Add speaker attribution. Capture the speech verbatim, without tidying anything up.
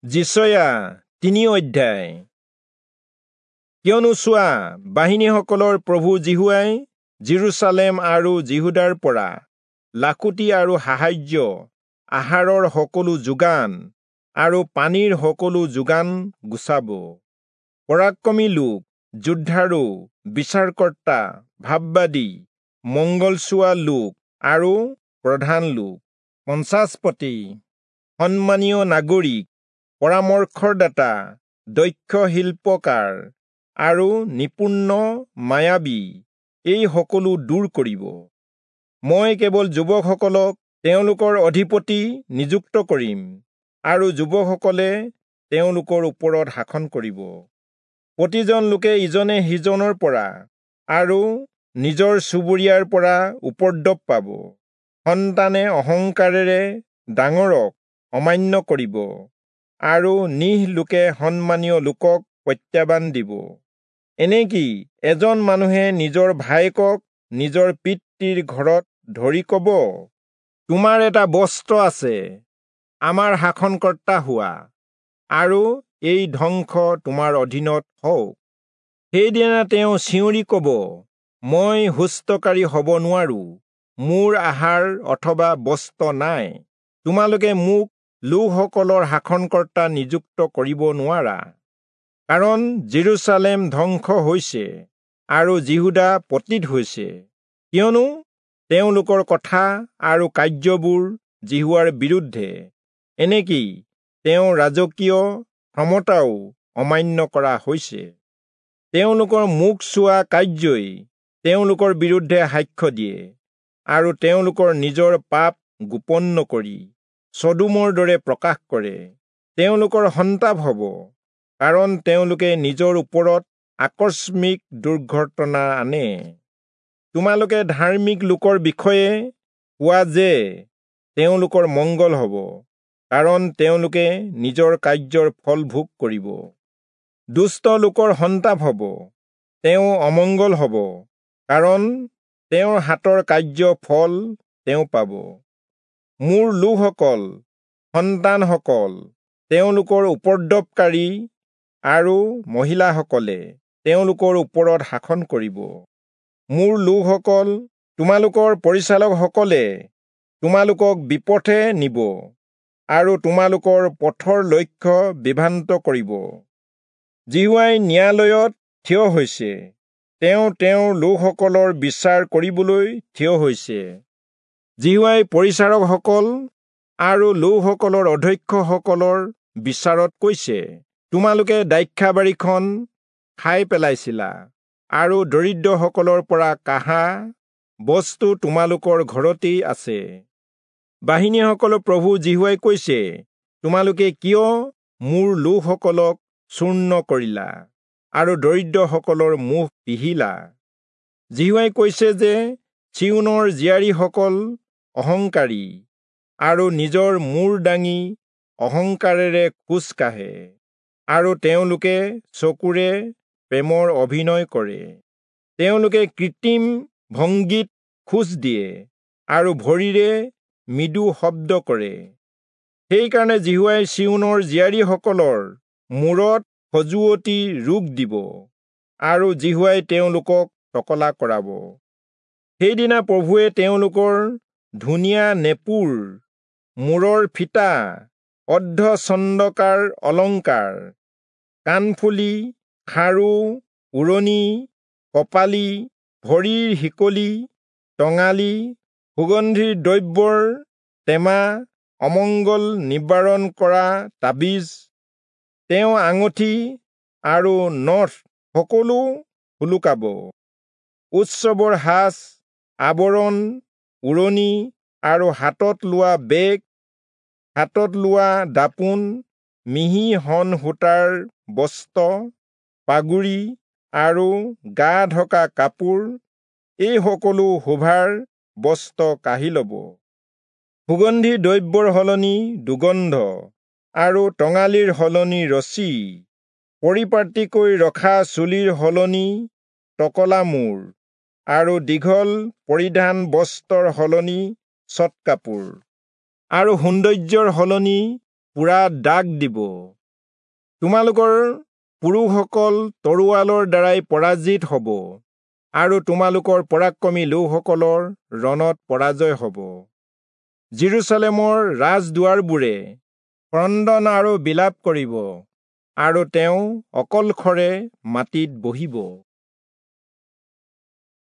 Speaker 1: যিচয়া তিনি অধ্যায়। কিয়নো চোৱা, বাহিনীসকলৰ প্ৰভু যিহোৱাই যিৰূচালেম আৰু যিহূদাৰ পৰা লাখুটি আৰু সাহায্য, আহাৰৰ সকলো যোগান আৰু পানীৰ সকলো যোগান গুচাব। পৰাক্ৰমী লোক, যোদ্ধাৰু, বিচাৰকৰ্তা, ভাববাদী, মংগলচোৱা লোক আৰু প্ৰধান লোক, পঞ্চাছপতি, সন্মানীয় নাগৰিক, পৰামৰ্শদাতা, দক্ষ শিল্পকাৰ আৰু নিপুণ মায়াবী, এই সকলো দূৰ কৰিব। মই কেৱল যুৱকসকলক তেওঁলোকৰ অধিপতি নিযুক্ত কৰিম, আৰু যুৱকসকলে তেওঁলোকৰ ওপৰত শাসন কৰিব। প্ৰতিজন লোকে ইজনে সিজনৰ পৰা আৰু নিজৰ চুবুৰীয়াৰ পৰা উপদ্ৰৱ পাব। সন্তানে অহংকাৰেৰে ডাঙৰক অমান্য কৰিব, আৰু নিহ লোকে সন্মানীয় লোকক প্ৰত্যাহ্বান দিব। এনেকি এজন মানুহে নিজৰ ভায়েকক নিজৰ পিতৃৰ ঘৰত ধৰি কব, তোমাৰ এটা বস্ত্ৰ আছে, আমাৰ শাসনকৰ্তা হোৱা, আৰু এই ধ্বংস তোমাৰ অধীনত হওক। সেইদিনা তেওঁ চিঞৰি কব, মই সুস্থকাৰী হব নোৱাৰো, মোৰ আহাৰ অথবা বস্ত্ৰ নাই, তোমালোকে মোক লোকসকলৰ শাসনকৰ্তা নিযুক্ত কৰিব নোৱাৰা। কাৰণ যিৰূচালেম ধ্বংস হৈছে আৰু যিহূদা পতিত হৈছে, কিয়নো তেওঁলোকৰ কথা আৰু কাৰ্যবোৰ যিহোৱাৰ বিৰুদ্ধে, এনেকি তেওঁৰ ৰাজকীয় ক্ষমতাও অমান্য কৰা হৈছে। তেওঁলোকৰ মুখ চোৱা কাৰ্যই তেওঁলোকৰ বিৰুদ্ধে সাক্ষ্য দিয়ে, আৰু তেওঁলোকৰ নিজৰ পাপ গোপন নকৰি চদোমৰ দৰে প্ৰকাশ কৰে। তেওঁলোকৰ সন্তাপ হ'ব, কাৰণ তেওঁলোকে নিজৰ ওপৰত আকস্মিক দুৰ্ঘটনা আনে। তোমালোকে ধাৰ্মিক লোকৰ বিষয়ে কোৱা যে তেওঁলোকৰ মংগল হ'ব, কাৰণ তেওঁলোকে নিজৰ কাৰ্যৰ ফল ভোগ কৰিব। দুষ্ট লোকৰ সন্তাপ হ'ব, তেওঁ অমংগল হ'ব, কাৰণ তেওঁৰ হাতৰ কাৰ্য ফল তেওঁ পাব। মোৰ লোকসকল, সন্তানসকল, তেওঁলোকৰ উপদ্ৰৱকাৰী আৰু মহিলাসকলে তেওঁলোকৰ ওপৰত শাসন কৰিব। মোৰ লোকসকল, তোমালোকৰ পৰিচালকসকলে তোমালোকক বিপথে নিব, আৰু তোমালোকৰ পথৰ লক্ষ্য বিভ্ৰান্ত কৰিব। যিহোৱাই ন্যায়ালয়ত থিয় হৈছে, তেওঁ তেওঁৰ লোকসকলৰ বিচাৰ কৰিবলৈ থিয় হৈছে। যিহোৱাই পৰিচাৰকসকল আৰু লোকসকলৰ অধ্যক্ষসকলৰ বিচাৰত কৈছে, তোমালোকে দ্ৰাক্ষাবাৰীখন খাই পেলাইছিলা, আৰু দৰিদ্ৰসকলৰ পৰা কাঢ়া বস্তু তোমালোকৰ ঘৰতেই আছে। বাহিনীসকলৰ প্ৰভু যিহোৱাই কৈছে, তোমালোকে কিয় মোৰ লোকসকলক চূৰ্ণ কৰিলা আৰু দৰিদ্ৰসকলৰ মুখ পিহিলা? যিহোৱাই কৈছে যে চিয়োনৰ জীয়াৰীসকল অহংকাৰী আৰু নিজৰ মূৰ দাঙি অহংকাৰেৰে খোজ কাঢ়ে, আৰু তেওঁলোকে চকুৰে প্ৰেমৰ অভিনয় কৰে। তেওঁলোকে কৃত্ৰিম ভংগীত খোজ দিয়ে আৰু ভৰিৰে মৃদু শব্দ কৰে। সেইকাৰণে যিহোৱাই চিয়োনৰ জীয়াৰীসকলৰ মূৰত খজুৱতি ৰোগ দিব, আৰু যিহোৱাই তেওঁলোকক টকলা কৰাব। সেইদিনা প্ৰভুৱে তেওঁলোকৰ ধুনীয়া নেপুৰ, মূৰৰ ফিটা, অৰ্ধচন্দ্ৰকাৰ অলংকাৰ, কাণফুলি, খাৰু, উৰণি, কপালি, ভৰিৰ শিকলি, টঙালি, সুগন্ধিৰ দ্ৰব্যৰ টেমা, অমংগল নিবাৰণ কৰা তাবিজ, তেওঁ আঙুঠি আৰু নথ সকলো সোলোকাব। উৎসৱৰ সাজ, আৱৰণ, উৰণি আৰু হাতত লোৱা বেগ, হাতত লোৱা দাপোন, মিহি শণ সূতাৰ বস্ত্ৰ, পাগুৰি আৰু গা ঢকা কাপোৰ, এই সকলো শোভাৰ বস্ত্ৰ কাঢ়ি ল'ব। সুগন্ধি দ্ৰব্যৰ সলনি দুৰ্গন্ধ আৰু টঙালিৰ সলনি ৰছী, পৰিপাটিকৈ ৰখা চুলিৰ সলনি টকলা মূৰ আৰু দীঘল পৰিধান বস্ত্ৰৰ সলনি চট কাপোৰ, আৰু সৌন্দৰ্যৰ সলনি পোৰা দাগ দিব। তোমালোকৰ পুৰুষসকল তৰোৱালৰ দ্বাৰাই পৰাজিত হ'ব আৰু তোমালোকৰ পৰাক্ৰমী লোকসকলৰ ৰণত পৰাজয় হ'ব। যিৰূচালেমৰ ৰাজদুৱাৰবোৰে ক্ৰন্দন আৰু বিলাপ কৰিব আৰু তেওঁ অকলশৰে মাটিত বহিব।